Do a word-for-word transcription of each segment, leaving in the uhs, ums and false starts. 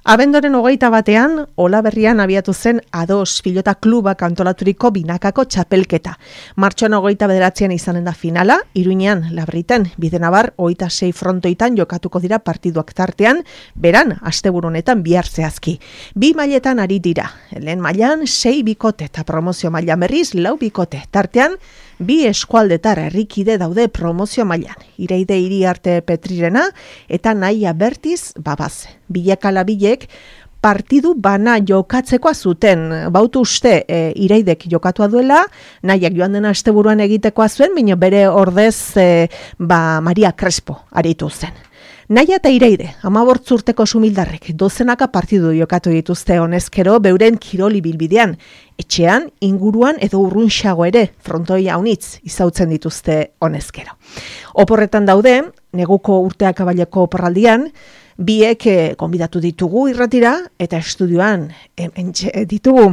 Abendoren hogeita batean, Olaberrian abiatu zen Ados pilota klubak antolaturiko binakako txapelketa. Martxoan hogeita bederatzean izanen da finala, Iruinean, Labriten, Bidenabar, hogeita sei frontoitan jokatuko dira partiduak tartean, beran, asteburu honetan bihar zehazki. Bi mailetan ari dira, lehen mailan sei bikote eta promozio mailan berriz lau bikote, tartean, bi eskualdetar herrikide daude promozio mailan. Ireide Iriarte Petrirena eta Naia Bertiz Babaz. Bilakala bilek partidu bana jokatzekoa zuten. Bautu uste e, Ireidek jokatua duela, Naiak joan dena asteburuan egitekoa zuen, baina bere ordez e, ba, Maria Crespo aritu zen. Naia eta Ireide, hamabort urteko sumildarrek, dozenaka partidu jokatu dituzte honezkero beuren kiroli bilbidean. Etxean, inguruan edo urrunxago ere, frontoia haunitz izautzen dituzte honezkero. Oporretan daude, neguko urteak abaleko oporraldian, biek eh, konbidatu ditugu irratira, eta estudioan hemen ditugu.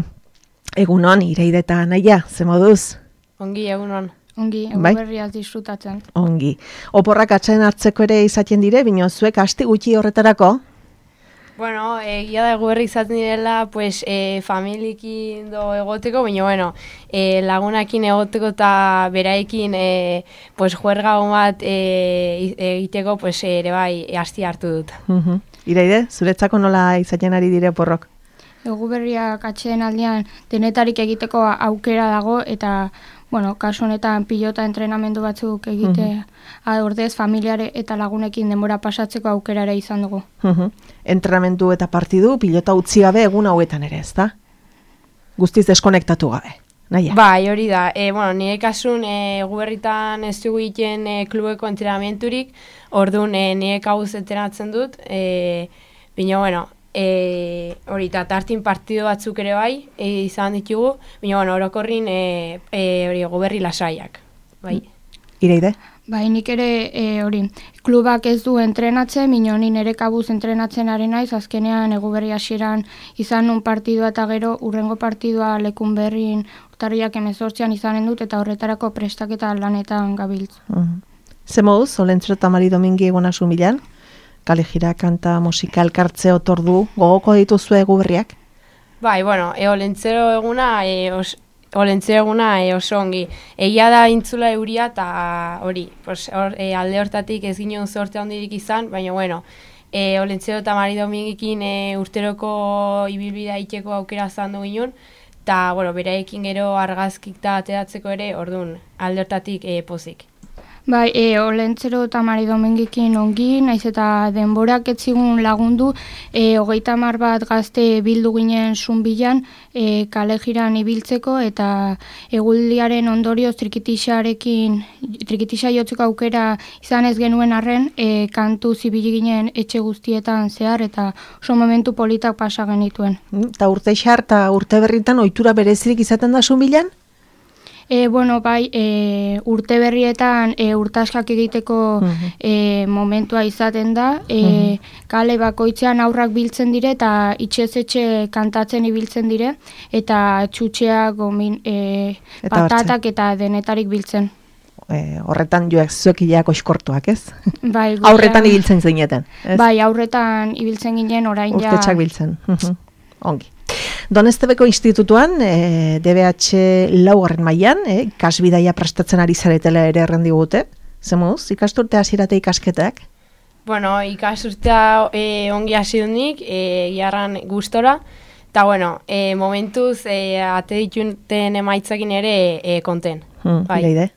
Egunon, Ireide eta Naia, ze moduz? Ongi, egunon. Ongi, egu Bai? berriaz disfrutatzen. Ongi. Oporrak atxaden hartzeko ere izaten dire, bino zuek asti gutxi horretarako? Bueno, egia da egu berri izaten direla, pues, e, familiekin do egoteko, baina, bueno, e, lagunakin egoteko eta beraekin, e, pues, juerga bat e, egiteko, pues, ere bai, asti hartu dut. Uh-huh. Ireide, zuretzako nola izaten ari dire oporrok? Egu berriak atxeen aldean denetarik egiteko aukera dago eta bueno, kasu honetan pilota entrenamendu batzuk egite uh-huh. ordez familiare eta lagunekin denbora pasatzeko aukera ere izan dugu. Uh-huh. Entrenamendu eta partidu pilota utzi gabe egun hauetan ere, ezta? Guztiz deskonektatu gabe. Naia. Bai, hori da. E, bueno, nire kasun e, guberritan ez dugu egiten e, klubeko entrenamenturik, orduan e, nire kabuz entrenatzen dut, e, bina, bueno, E, hori, eta tartin partido batzuk ere bai, e, izan ditugu, baina, bueno, orokorrin e, e, hori goberri lasaiak, bai. Ireide? Bai, nik ere e, hori, klubak ez du entrenatzen, baina ni nire kabuz entrenatzen ari naiz, azkenean egu berri hasieran izan nun partidua eta gero urrengo partidua lekun berrin urtarriak hemezortzian izanen dut, eta horretarako prestaketa lanetan gabiltz. Uh-huh. Ze moduz, Olentzero eta Mari Domingi egonasun bilan? Kale jira, kanta, musika, elkartze, otordu, gogoko dituzue egu berriak? Bai, bueno, e, olentzero eguna, e, os, olentzero eguna e, oso ongi. Egia da intzula euria eta hori, pues, or, e, alde hortatik ez ginen zorte handirik izan, baina, bueno, e, olentzero eta Mari Domingikin e, urteroko ibilbidea iteko aukera zandu ginen, eta, bueno, beraekin gero argazkik eta ateratzeko ere, orduan, alde hortatik e, pozik. Bai, e, Olentzero eta Mari Domingikin ongi, naiz eta denborak etzigun lagundu, e, hogeita hamar bat gazte bildu ginen zunbilan, e, kale jiran ibiltzeko, eta eguldiaren ondorioz trikitixarekin, trikitixa jotzeko aukera izan ez genuen arren, e, kantu zibili ginen etxe guztietan zehar, eta oso momentu politak pasa genituen. Eta urte xar eta urte berritan ohitura berezirik izaten da zunbilan? E, bueno, bai, e, urte berrietan e, urtaskak egiteko uh-huh. e, momentua izaten da, e, uh-huh. kale bakoitzean aurrak biltzen dire eta itxez etxe kantatzen ibiltzen dire, eta txutxeak, gomin, e, eta patatak hartzen. Eta denetarik biltzen. E, horretan joak zuekileak oiskortuak, ez? Bai, aurretan ibiltzen zineten, ez? Bai, aurretan ibiltzen ginen orain ja... Urtetxak biltzen, uh-huh. Ongi. Donestebeko institutuan, e, D B H laugarren mailan, e, ikasbidaia prestatzen ari zaretela ere errendi gute. Zemuz, ikasturte hasierate ikasketak? Bueno, ikasturtea e, ongi hasi dunik, e, jarran gustora, eta bueno, e, momentuz e, ate dituten emaitzakin ere e, konten. Hmm, bai. Ireide?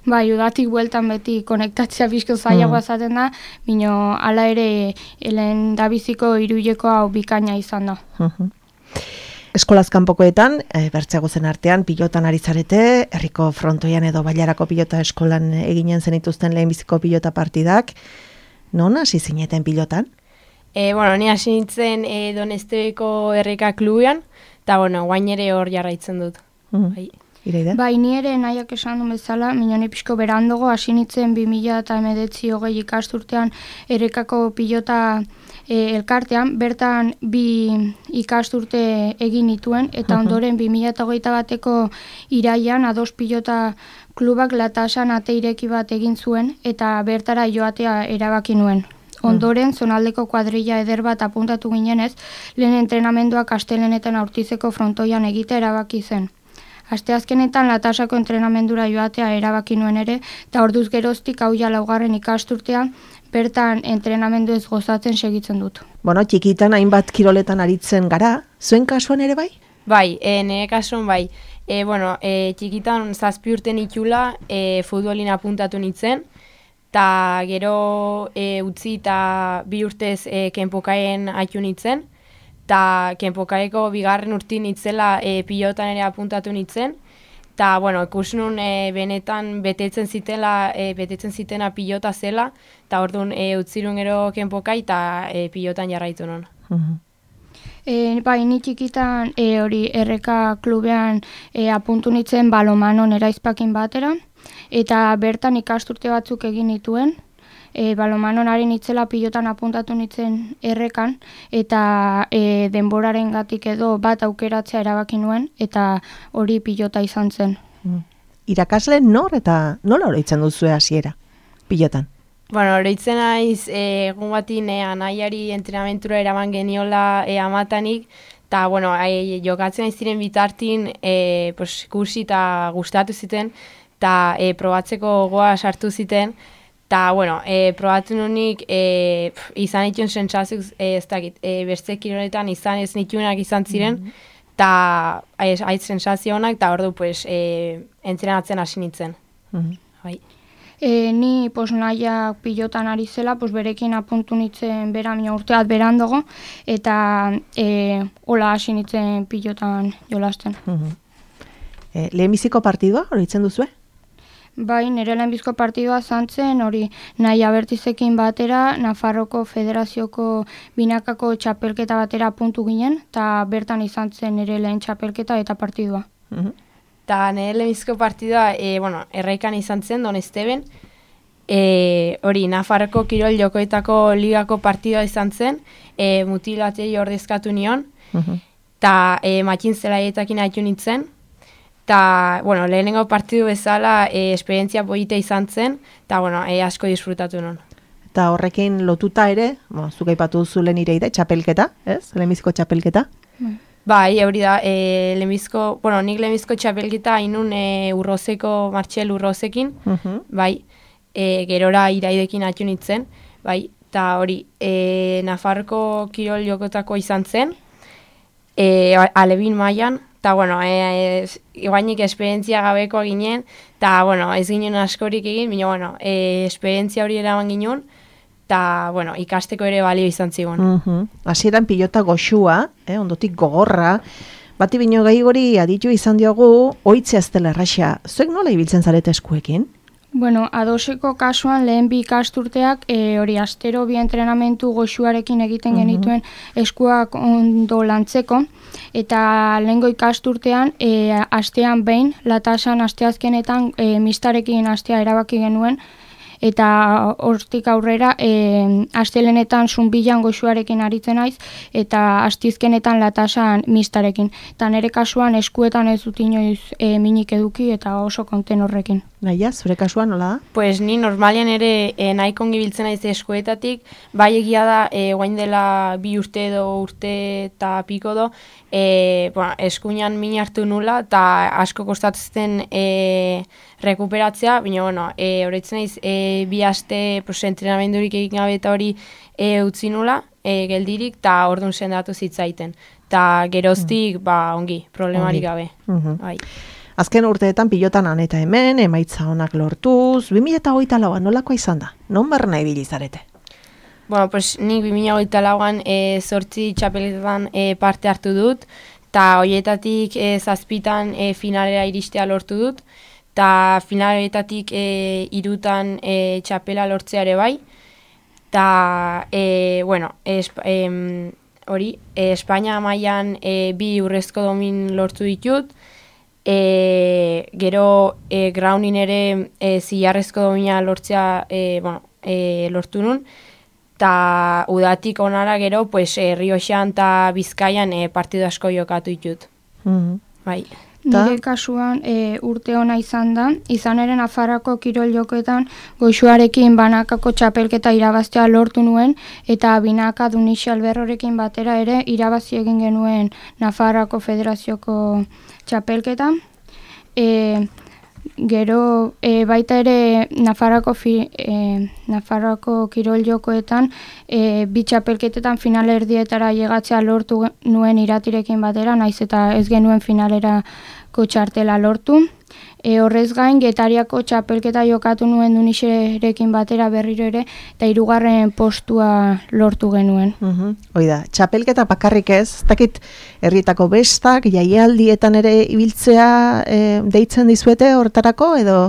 Bai, udatik bueltan beti konektatzea bizko zailagoa zaten da, bino hala ere helen dabiziko irudeko hau bikaina izan da. Uh-huh. Eskolaz kanpokoetan, e, bertzeago zen artean, pilotan ari zarete, herriko frontoian edo bailarako pilota eskolan eginen zenituzten lehenbiziko pilota partidak. Non hasi zineten pilotan? E, bueno, ni hasi nintzen e, Donestebeko herrika klubean, eta bueno, guain ere hor jarraitzen dut. Mm. Bai. Ireide? Bai, ni ere nahiak esan du bezala, minone pixko berandogo, hasi nintzen bi mila hemeretzi hogei ikasturtean errekako pilota e, elkartean, bertan bi ikasturte egin nituen, eta ondoren bi mila hogeita bateko iraian Ados pilota klubak Latasan ate ireki bat egin zuen, eta bertara joatea erabaki nuen. Ondoren, zonaldeko kuadrilla eder bat apuntatu ginenez, lehen entrenamenduak astelenetan aurtizeko frontoian egitea erabaki zen. Asteazkenetan latasako entrenamendura joatea erabaki nuen ere, eta orduz geroztik hau ja laugarren ikasturtean, bertan entrenamendu ez gozatzen segitzen dut. Bueno, txikitan hainbat kiroletan aritzen gara, zuen kasuan ere bai? Bai, e, nire kasuan bai. E, bueno, e, txikitan zazpi urten itxula e, futbolin apuntatu nintzen, eta gero e, utzi eta bi urtez e, kenpokaen haitu nintzen, eta kenpokaeko bigarren urtin nitzela e, pilotan ere apuntatu nintzen, eta, bueno, ikus nun e, benetan betetzen zitela, e, betetzen zitena pilota zela, eta orduan e, utzirun gero kenpokai eta e, pilotan jarraitu nun. Mhm. E, bai, ni txikitan e, hori erreka klubean e, apuntu nintzen balomanon eraizpakin batera, eta bertan ikasturte batzuk egin nituen, e, balomanon ari nitzela pilotan apuntatu nintzen errekan, eta e, denboraren gatik edo bat aukeratzea erabaki nuen, eta hori pilota izan zen. Mm. Irakasle nor eta nola oroitzen duzue hasiera pilotan? Bueno, oroitzen naiz e, egun batin e, anaiari entrenamentura eraman geniola e, amatanik, eta, bueno, e, jokatzen ez ziren bitartin e, pues, ikusi eta gustatu ziten, eta e, probatzeko goa sartu ziten, eta, bueno, e, probatu nunik e, pf, izan dituen sentsazioz, e, ez dakit, e, beste kiroletan izan ez nituenak izan ziren, eta mm-hmm. aiz sentsazio honak, eta ordu, pues, e, entrenatzen hasi nintzen. Mm-hmm. Bai. E, ni pos, nahiak pilotan ari zela, pos, berekin apuntu nintzen bera mina urteat berandogo, eta e, hola hasi nintzen pilotan jolasten. Mm-hmm. E, lehenbiziko partidua oroitzen duzue? Bai, nire lehenbizko partidua zantzen, hori nahi abertizekin batera, Nafarroko Federazioko binakako txapelketa batera puntu ginen, eta bertan izan zen nire lehen txapelketa eta partidua. Mm-hmm. Eta nire lehenbizko partidua, e, bueno, erraikan izan zen, Don Esteben, e, hori Nafarroko Kirol Jokoetako ligako partidua izan zen, e, mutilatei ordezkatu nion, eta mm-hmm. e, matxin zelaietakin haitu nintzen, eta, bueno, lehenengo partidu bezala e, esperientzia polita izan zen, eta, bueno, e, asko disfrutatu non. Eta horrekin lotuta ere, bueno, zuk aipatu duzu lehen ireide, txapelketa, ez? Lehenbiziko txapelketa? Mm. Bai, hori da, e, lehenbizko, bueno, nik lehenbizko txapelketa hainun e, urrozeko, Martxel urrozekin, Uh-huh. bai, e, gerora iraidekin hatu nintzen, bai, eta hori, e, Nafarroko Kirol Jokotako izan zen, e, alebin mailan, eta, bueno, e, e, guainik esperientzia gabekoa ginen, eta, bueno, ez ginen askorik egin, baina, bueno, e, esperientzia hori eraman ginen, eta, bueno, ikasteko ere balio izan zigun. Uh-huh. Hasieran pilota goxua, eh, ondotik gogorra, bati bino gaigori aditu izan diogu, oitzea ez dela erraxa. Zuek nola ibiltzen zarete eskuekin? Bueno, adoseko kasuan lehen bi ikasturteak e, hori astero bi entrenamentu goxuarekin egiten Mhm. genituen eskuak ondo lantzeko, eta lehengo ikasturtean e, astean behin, latasan asteazkenetan e, mistarekin astea erabaki genuen, eta hortik aurrera e, astelenetan zunbilan goxuarekin aritzen naiz, eta astizkenetan latasan mistarekin. Eta nire kasuan eskuetan ez dut inoiz e, minik eduki eta oso konten horrekin. Naia, zure kasuan nola da? Pues ni normalian ere e, nahiko ongi biltzen naiz eskuetatik, bai egia da, e, guain dela bi urte edo urte eta piko do, e, bueno, eskuinan min hartu nula, eta asko kostatzen e, rekuperatzea, baina, bueno, e, horretzen naiz, e, bi aste pues, entrenamendurik egin gabe eta hori e, utzi nula, e, geldirik, eta orduan sendatu zitzaiten. Eta geroztik, mm. ba, ongi, problemarik gabe. Uh-huh. Bai. Azken urteetan pilotan han eta hemen, emaitza honak lortuz, bi mila hogeita lauan nolakoa izan da? Non barna ibili zarete? Bueno, pues nik bi mila hogeita lauan e, zortzi txapeletan e, parte hartu dut, eta horietatik e, zazpitan e, finalera iristea lortu dut, eta finaletatik e, irutan e, txapela lortzea ere bai, eta, e, bueno, esp, e, hori, e, Espainia mailan e, bi urrezko domin lortu ditut, e, gero e, graunin ere e, zilarrezko domina lortzea e, bueno, e, lortu nun, eta udatik onara gero, pues, e, Rioxan eta Bizkaian e, partidu asko jokatu ditut. Mm-hmm. Bai. Nire kasuan e, urte ona izan da, izan ere Nafarroako kirol jokoetan Goixuarekin banakako txapelketa irabaztea lortu nuen, eta binaka Dunixi Alberrorekin batera ere irabazi egin genuen Nafarroako Federazioko txapelketa. E, gero e, baita ere Nafarroako, fi, e, Nafarroako kirol jokoetan e, bi txapelketetan finalerdietara llegatzea lortu nuen Iratirekin batera, naiz eta ez genuen finalerako txartela lortu. E, horrez gain, Getariako txapelketa jokatu nuen Dunixerekin batera berriro ere, eta hirugarren postua lortu genuen. Uh-huh. Oida, txapelketa bakarrik ez, ez dakit herrietako bestak, jaialdietan ere ibiltzea e, deitzen dizuete hortarako, edo?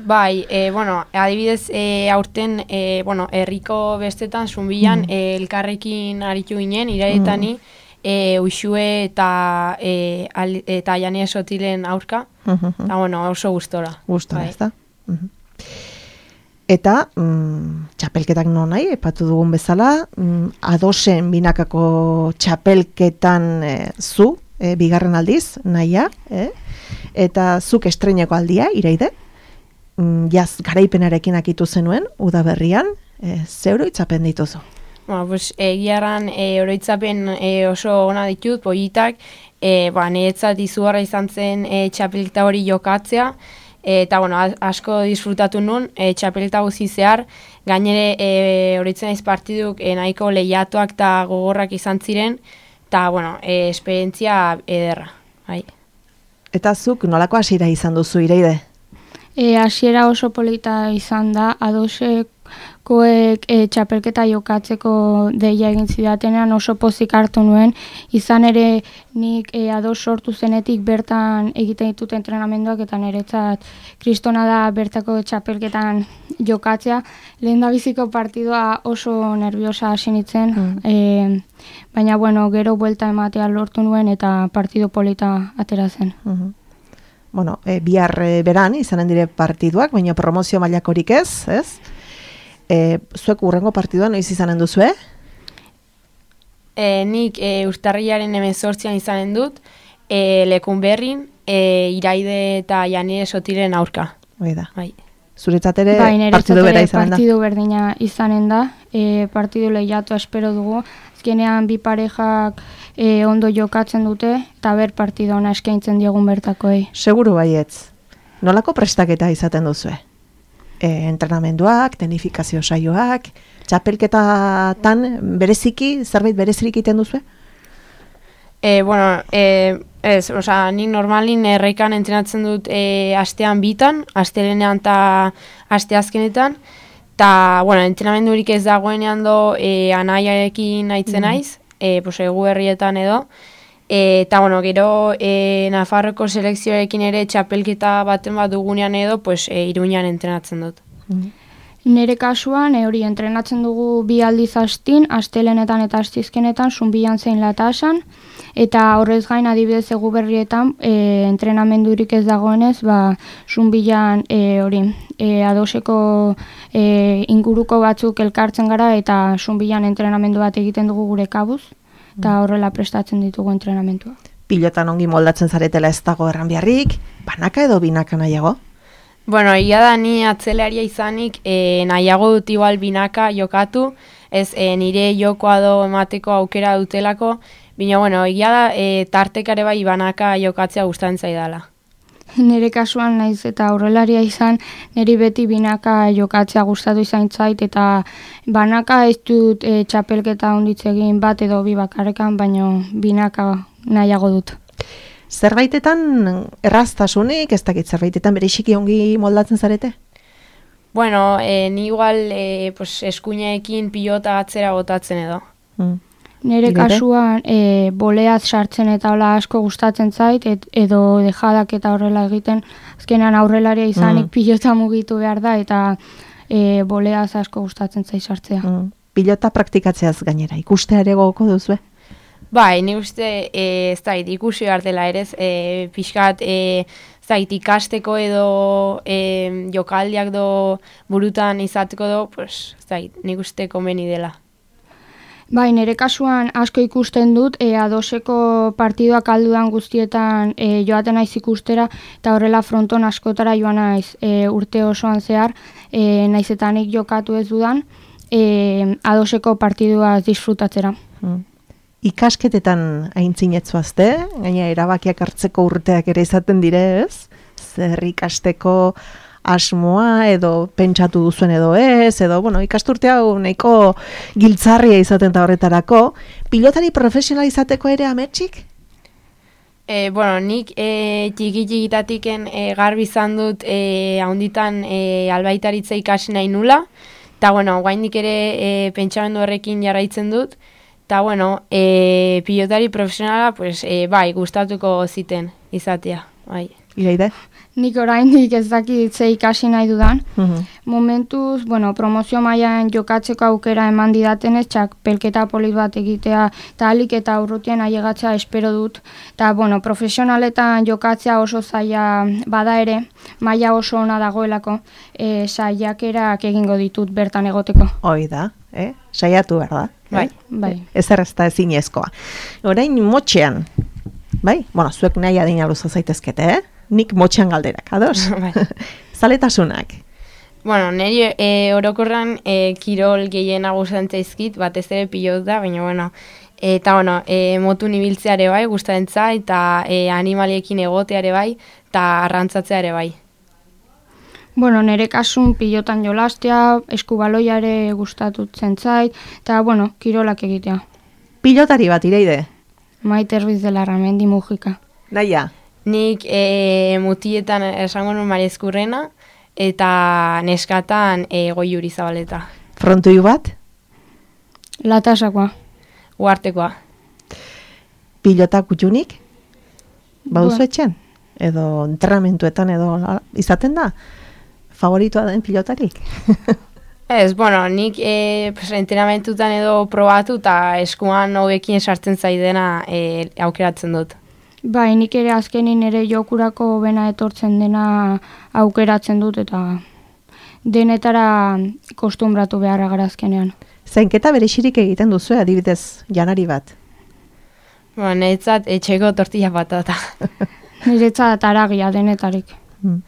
Bai, e, bueno, adibidez, e, aurten, e, bueno, herriko bestetan, Zunbilan, mm. e, elkarrekin aritu ginen, iraretani, mm. E, Uxue eta e, al, eta Jania Sotilen aurka, uh-huh. eta bueno, oso gustora. Gustora, bai. Ez da? Uh-huh. Eta mm, txapelketak non nahi, epatu dugun bezala, mm, adosen binakako txapelketan e, zu, e, bigarren aldiz, nahia, eh? Eta zuk estreineko aldia, Iraide, mm, jaz garaipenarekin akitu zenuen, udaberrian, e, zeuro itzapen dituzu. Bueno, pues, egiaran e, oroitzapen e, oso ona ditut, politak, e, ba, niretzat izugarra izan zen e, txapelketa hori jokatzea, e, eta bueno, asko disfrutatu nun, e, txapelketa guzi zehar, gainere e, oroitzen naiz partiduk e, nahiko lehiatuak eta gogorrak izan ziren, eta bueno, e, esperientzia ederra. Bai. Eta zuk nolako hasiera izan duzu, Iraide? E, hasiera oso polita izan da, adosek koek e, txapelketa jokatzeko deia egin zidatenean oso pozik hartu nuen, izan ere nik e, ados sortu zenetik bertan egiten ditut entrenamenduak, eta niretzat kristona da bertako txapelketan jokatzea. Lehendabiziko partidua oso nerviosa hasi nintzen, mm. e, baina bueno, gero buelta ematea lortu nuen eta partidu polita atera zen. Mm-hmm. Bueno, e, bihar e, beran izanen dire partiduak, baina promozio mailakorik ez, ez? E, zuek urrengo partidua noiz izanen duzu, eh? E, nik e, urtarrilaren hemezortzian izanen dut, e, Lekunberrin, e, Iraide eta Janire Sotiren aurka. Oida. Bai. Zuretzat ere bai, partidu bera izanen da? Partidu berdina izanen da, e, partidu lehiatu espero dugu, azkenean bi parejak e, ondo jokatzen dute, eta ber partidu ona eskaintzen diegun bertakoei. Seguru baietz. Nolako prestaketa izaten duzue? E, entrenamenduak, tenifikazio saioak, txapelketatan bereziki, zerbait berezirik egiten duzue? E, bueno, e, ez, osea, nik normalin erreikan entrenatzen dut e, astean bitan, astelenean eta asteazkenetan, eta, bueno, entrenamendurik ez dagoenean do e, anaiarekin aitzen Mm. naiz, e, pues, egu herrietan edo, e, eta, bueno, gero e, Nafarroko selekzioarekin ere txapelketa baten bat dugunean edo, pues, e, Iruñan entrenatzen dut. Mm. Nire kasuan, e, hori entrenatzen dugu bi aldiz astin, astelenetan eta astizkenetan, Zunbilan zein Latasan, eta horrez gain adibidez egu berrietan e, entrenamendurik ez dagoenez, ba, Zunbilan e, hori e, adoseko e, inguruko batzuk elkartzen gara, eta Zunbilan entrenamendu bat egiten dugu gure kabuz, eta horrela prestatzen ditugu entrenamentua. Pilotan ongi moldatzen zaretela ez dago erran biharrik, banaka edo binaka nahiago? Bueno, ia da ni atzelaria izanik e, nahiago dut igual binaka jokatu, ez e, nire jokoa do emateko aukera dutelako, baina bueno, ia da e, tartekare bai banaka jokatzea gustatzen zaidala. Nire kasuan naiz eta aurrelaria izan, niri beti binaka jokatzea gustatu izan zait, eta banaka ez dut e, txapelketa onditz egin bat edo bi bakarrekan, baina binaka nahiago dut. Zerbaitetan erraztasunik, ez dakit zerbaitetan bereziki ongi moldatzen zarete? Bueno, e, ni igual e, pues, eskuineekin pilota atzera botatzen edo. Mm. Nire Irete? kasuan e, boleaz sartzen eta hola asko gustatzen zait, et, edo dejadak eta horrela egiten, azkenean aurrelaria izanik Mm. pilota mugitu behar da, eta e, boleaz asko gustatzen zait sartzea. Mm. Pilota praktikatzeaz gainera, ikustea ere gogoko duzue? Bai, ni uste e, ez dait ikusi behar dela ere, e, pixkat e, ez dait ikasteko edo e, jokaldiak do burutan izateko do, pues, ez dait, nik uste komeni dela. Bai, nire kasuan asko ikusten dut, e, adoseko partiduak aldudan guztietan e, joaten naiz ikustera, eta horrela fronton askotara joan naiz e, urte osoan zehar, e, naiz eta nik jokatu ez dudan, e, adoseko partidua disfrutatzera. Hmm. Ikasketetan aintzinetzuazte, gaina erabakiak hartzeko urteak ere izaten dire, ez? Zer ikasteko asmoa edo pentsatu duzuen edo ez, edo, bueno, ikasturte hau nahiko giltzarria izaten da horretarako. Pilotari profesional izateko ere ametxik? E, bueno, nik e, txiki-txikitatiken e, garbi izan dut e, haunditan e, albaitaritza ikasi nahi nula, eta, bueno, guaindik ere e, pentsamendu horrekin jarraitzen dut, eta, bueno, e, pilotari profesionala, pues, e, bai, gustatuko ziten izatea, bai. Iraide? Nik oraindik ez dakit ze ikasi nahi dudan. Uh-huh. Momentuz, bueno, promozio mailan jokatzeko aukera eman didatenez, txapelketa polit bat egitea, eta alik eta urrutien ailegatzea espero dut. Eta, bueno, profesionaletan jokatzea oso zaila bada ere, maila oso ona dagoelako, e, saiakerak egingo ditut bertan egoteko. Hoi da, eh? Saiatu behar da. Bai, bai. Ez errezta ezinezkoa. Orain motxean, bai? Bueno, zuek nahi adina luza zaitezkete, eh? Nik motxean galderak, ados? Zaletasunak. Bueno, niri e, orokorran e, kirol gehien agustantzaizkit, batez ere pilot da, baina, bueno, e, eta, bueno, e, motu nibiltzeare bai, gustantza, eta e, animaliekin egoteare bai, eta arrantzatzeare bai. Bueno, nire kasun pilotan jolastea, eskubaloiare gustatutzen zait, eta, bueno, kirolak egitea. Pilotari bat, Iraide? Maite Ruiz de Larramendi Mujika. Naia? Nik e, mutietan esango nun Maria Ezkurrena, eta neskatan e, Goiuri Zabaleta. Frontoi bat? Latasakoa. Uartekoa. Pilota kutxunik? Bauzu etxen? Edo entrenamentuetan edo izaten da? Favoritoa den pilotarik? Ez, bueno, nik e, pues, entrenamentutan edo probatu eta eskuan hobekin sartzen zaidena e, aukeratzen dut. Bai, nik ere azkenin ere jokurako bena etortzen dena aukeratzen dut eta denetara kostumbratu beharra gara azkenean. Zainketa berexirik egiten duzu, adibidez, janari bat? Bueno, niretzat etxeko tortilla patata. Niretzat aragia denetarik. Hmm.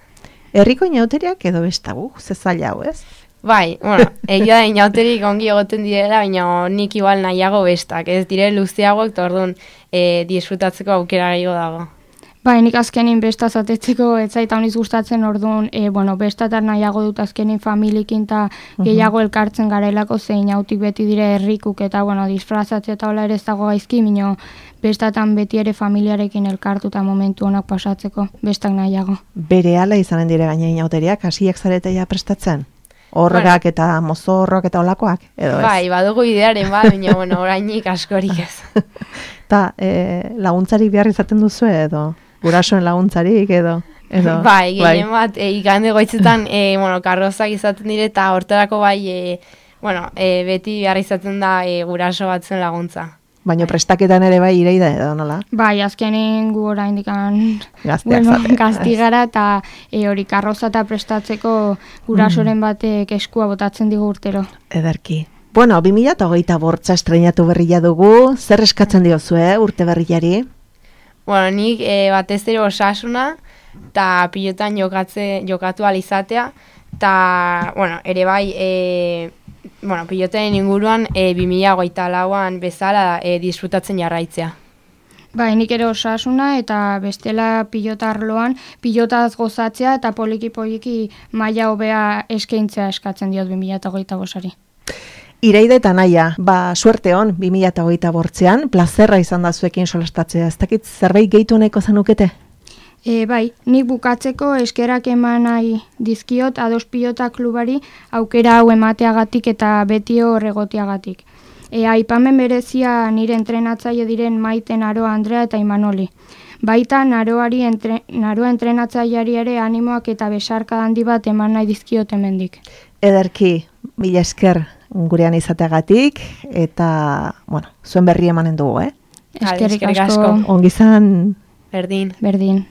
Herriko inauteriak edo bestagu, ze zaila hau, ez? Bai, bueno, egia da inauterik ongi egoten direla, baina nik igual nahiago bestak, ez dire luzeagoak, eta orduan e, disfrutatzeko aukera gehiago dago. Bai, nik azkenin besta zatetzeko ez zaita honiz gustatzen orduan, e, bueno, bestatar nahiago dut azkenin familikin eta gehiago elkartzen garelako zein autik beti dire herrikuk eta, bueno, disfrazatzea eta hola ere ez dago gaizki, minio bestatan beti ere familiarekin elkartu eta momentu honak pasatzeko, bestak nahiago. Bere ala izanen dire gaina inauteriak, hasiak zaretea prestatzen? Horrak bueno, eta mozorroak eta olakoak, edo ez? Bai, badugu idearen, ba, baina, bueno, orainik askorik ez. Eta e, laguntzarik behar izaten duzu edo? Gurasoen laguntzarik edo? edo bai, gehien bai. Bat, e, ikande goitzetan, e, bueno, karrozak izaten dire, eta hortarako bai, e, bueno, e, beti behar izaten da e, guraso batzen laguntza. Baina prestaketan ere bai Iraide edo nola? Bai, azkenin gu oraindikan gazteak bueno, gaztigara eta e, hori karroza eta prestatzeko gurasoren batek eskua botatzen digu urtero. Ederki. Bueno, bi mila hogeita bortza estreinatu berria dugu, zer eskatzen diozu, eh, urte berriari? Bueno, nik e, batez ere osasuna eta pilotan jokatze, jokatu alizatea, eta, bueno, ere bai, e, bueno, piloten inguruan e, bi mila hogeita lauan bezala e, disfrutatzen jarraitzea. Bai, nik ere osasuna eta bestela pilota arloan pilotaz gozatzea eta poliki-poliki maila hobea eskaintzea eskatzen diot bi mila hogeita bosari. Iraide eta Naia, ba, suerte hon bi mila hogeita bortzean, plazerra izan da zuekin solastatzea, ez dakit zerbait gehitu nahiko zanukete? E, bai, nik bukatzeko eskerak eman nahi dizkiot Ados Pilota Klubari aukera hau emateagatik eta beti horregotiagatik. E, aipamen berezia nire entrenatzaile diren Maite Naroa Andrea eta Imanoli. Baita Naroari entre, Naroa entrenatzaileari ere animoak eta besarka handi bat eman nahi dizkiot hemendik. Ederki, mila esker gurean izateagatik eta, bueno, zuen berri emanen dugu, eh? Eskerrik asko. Ongizan. Berdin. Berdin.